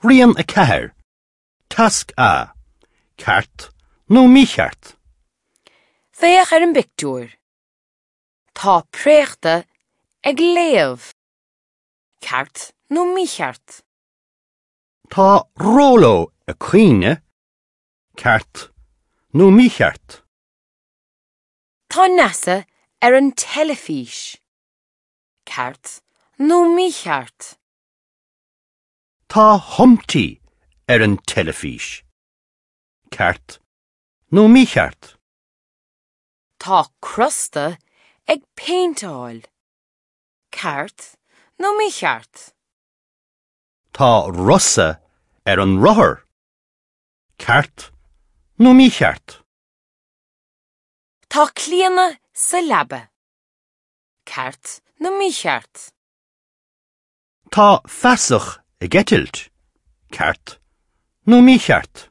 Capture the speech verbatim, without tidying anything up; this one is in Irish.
Rian a ceathair. Tasc A. Ceart nó mícheart? Féach ar an bpictiúr. Tá préachta ag léamh. Ceart nó mícheart? Tá Róló ag caoineadh. Ceart nó mícheart? Tá Neasa ar an teilifís. Ceart nó mícheart? Tá Humpty ar an teilifís. Ceart nó mícheart? Tá Crosta ag péinteáil. Ceart nó mícheart? Tá Rosa ar an rothar. Ceart nó mícheart? Tá Clíona sa leaba. Ceart nó mícheart? Tá feasach ag eitilt. Ceart nó mícheart?